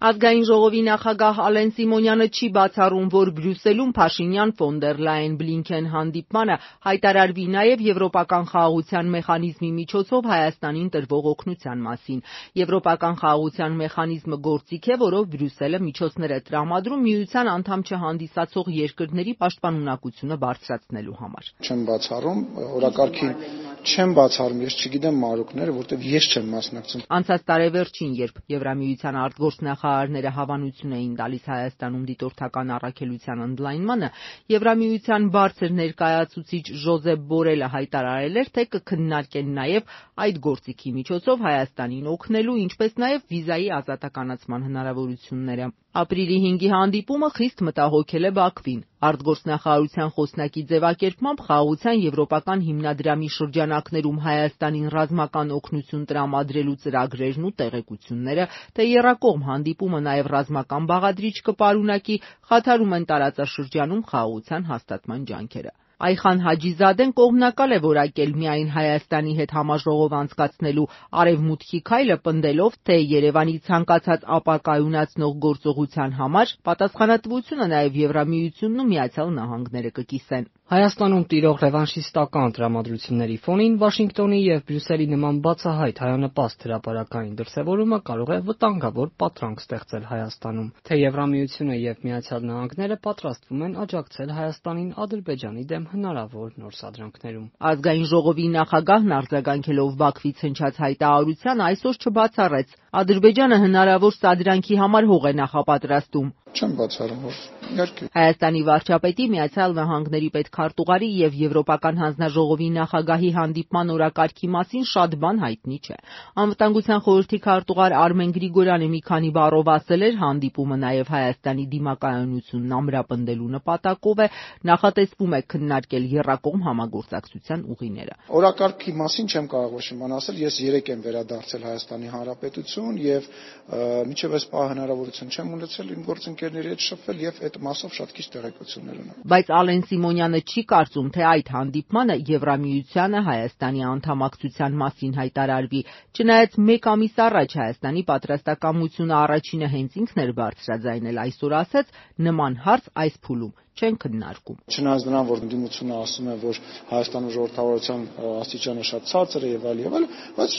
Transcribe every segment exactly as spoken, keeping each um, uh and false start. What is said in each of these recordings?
Ազգային ժողովի նախագահ Ալեն Սիմոնյանը չի բացառում, որ Բրյուսելում Փաշինյան-ֆոն դեր Լայեն-Բլինքեն հանդիպմանը հայտարարվի նաև եվրոպական խաղաղության մեխանիզմի միջոցով Հայաստանին տրվող օգնության մասին։ Եվրոպական խաղաղության մեխանիզմը գործիք է, որով Բրյուսելը միջոցներ է տրամադրում միության անդամ չհանդիսացող երկրների պաշտպանունակությունը բարձրացնելու համար։ Չեմ բացառում, օրակարգին չեմ բացառում, ես չգիտեմ մանրուքները, որտեղ ես չեմ մասնակցում։ Անցած տարեվերջին, երբ Եվրամիության արտգործնախարարները հավանություն էին տալիս Հայաստանում դիտորդական առաքելության ընդլայնմանը, Եվրամիության բարձր ներկայացուցիչ Ժոզեփ Բորելը հայտարարել էր, թե կքննարկեն նաև այդ գործիքի միջոցով Հայաստանին օգնելու, ինչպես նաև վիզայի ազատականացման հնարավորությունները։ Ապրիլի հինգի հանդիպումը խիստ մտահոգել է Բաքվին։ Արտգործնախարարության խոսնակի ձևակերպմամբ խաղաղության եվրոպական հիմնադրամի շրջանակներում Հայաստանին ռազմական օգնություն տրամադրելու ծրագրերն ու տեղեկությունները, թե եռակողմ հանդիպումը նաև ռազմական բաղադրիչ կպարունակի, խաթարում են տարածաշրջանում խաղաղության հաստատման ջանքերը։ Այխան Հաջիզադեն կողմնակալ է որակել միայն Հայաստանի հետ համաժողով անցկացնելու Արևմուտքի քայլը, պնդելով, թե Երևանի ցանկացած ապակայունացնող գործողության համար պատասխանատվությունը նաև Եվրամիությունն ու Միացյալ Նահանգները կկիսեն։ Հայաստանում տիրող ռևանշիստական տրամադրությունների ֆոնին Վաշինգտոնի եւ Բրյուսելի նման բացահայտ հայանպաստ հրապարակային դրսևորումը կարող է վտանգավոր պատրանք ստեղծել Հայաստանում, թե Եվրամիությունը եւ Միացյալ Նահանգները պատրաստվում են աջակցել Հայաստանին Ադրբեջանի դեմ հնարավոր նոր սադրանքներում։ Ազգային ժողովի նախագահն արձագանքելով Բաքվից հնչած հայտարարության այսօր չբացառեց, Ադրբեջանը հնարավոր սադրանքի համար հող է նախապատրաստում։ Չեմ բացառում, որ իհարկե։ Հայաստանի վարչապետի, Միացյալ Նահանգների պետքարտուղարի եւ Եվրոպական հանձնաժողովի նախագահի հանդիպման օրակարգի մասին շատ բան հայտնի չէ։ Անվտանգության խորհրդի քարտուղար Արմեն Գրիգորյանը մի քանի բառով ասել էր, հանդիպումը նաև Հայաստանի դիմակայունությունն ամրապնդելու նպատակով է, նախատեսվում է քննարկել եռակողմ համագործակցության ուղիները։ Օրակարգի մասին չեմ կարող ոչ մի բան ասել, ես երեք եմ վերադարձել Հայաստանի Հանրապետություն եւ մինչեւ այս պահ հնարավորություն չեմ ունեցել իմ գործընկերների հետ շփվել եւ այդ մասով շատ քիչ տեղեկություններ ունեմ։ Բայց Ալեն Սիմոնյանը չի կարծում, թե այդ հանդիպմանը Եվրամիությանը Հայաստանի անդամակցության մասին հայտարարվի, չնայած մեկ ամիս առաջ Հայաստանի պատրաստակամությունը առաջինը հենց ինքն էր բարձրաձայնել, այսօր ասեց նման հարց այս փուլում չեն քննարկում։ Չնայած նրան, որ ընդդիմությունը ասում է, որ Հայաստանում ժողովրդավարության աստիճանը շատ ցածր է եւ այլ եւ այլ, բայց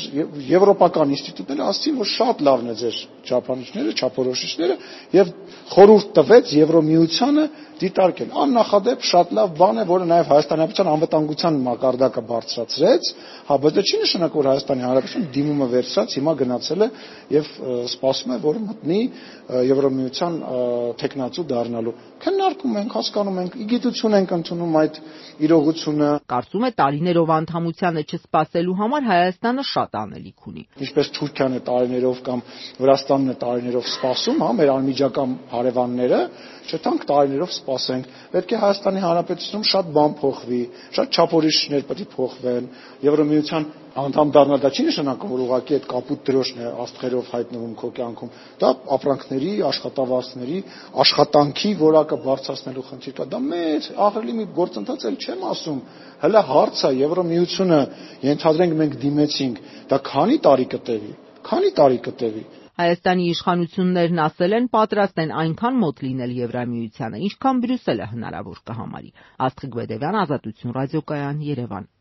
եվրոպական ինստիտուտները ասացին, որ շատ լավն է ձեր չափանիշները, չափորոշիչները եւ խորհուրդ տվեց Եվրոմիությանը դիտարկել։ Աննախադեպ շատ լավ բան է, որը նաև Հայաստանի Հանրապետության անվտանգության մակարդակը բարձրացրեց, հա, բայց դա չի նշանակում, որ Հայաստանի Հանրապետությունը դիմումը վերցրած հիմա գնացել է եւ սպասում է, որ մտնի Եվրոմիության տեխնացու դառնալու։ Քննարկում ենք, հասկանում ենք, իգիտություն ենք ընդունում այդ իրողությունը։ Կարծում է տարիներով անդամությանը չսպասելու համար Հայաստանը շատ անելիք ունի։ Ինչպես Թուրքիան է տարիներով կամ Վրաստանն է տարիներով սպասում, հա, մեր անմիջական հարևանները, չտանք տարիներով սպասենք։ Պետք է Հայաստանի Հանրապետությունում շատ բան փոխվի, շատ չափորոշիչներ պետք է փոխվեն։ Եվրոմիության անդամ դառնալ դա չի նշանակում, որ ուղղակի այդ կապույտ դրոշն է աստղերով հայտնվում քո կյանքում։ Դա ապրանքների, աշխատավարձների, աշխատանքի որակը բարձրացնելու խնդիր կա։ Դա մեծ ահռելի մի գործընթաց էլ չեմ ասում։ Հələ հարցը Եվրոմիությունը ենթադրենք մենք դիմեցինք, դա քանի տարի կտևի։ Քանի տարի կտևի։ Հայաստանի իշխանություններն ասել են պատրաստ են այնքան մոտ լինել Եվրամիությանը, ինչքան Բրյուսելը հնարավոր կհամարի։ Աստղիկ Բեդևյան, Ազատություն ռադիոկայան, Երևան։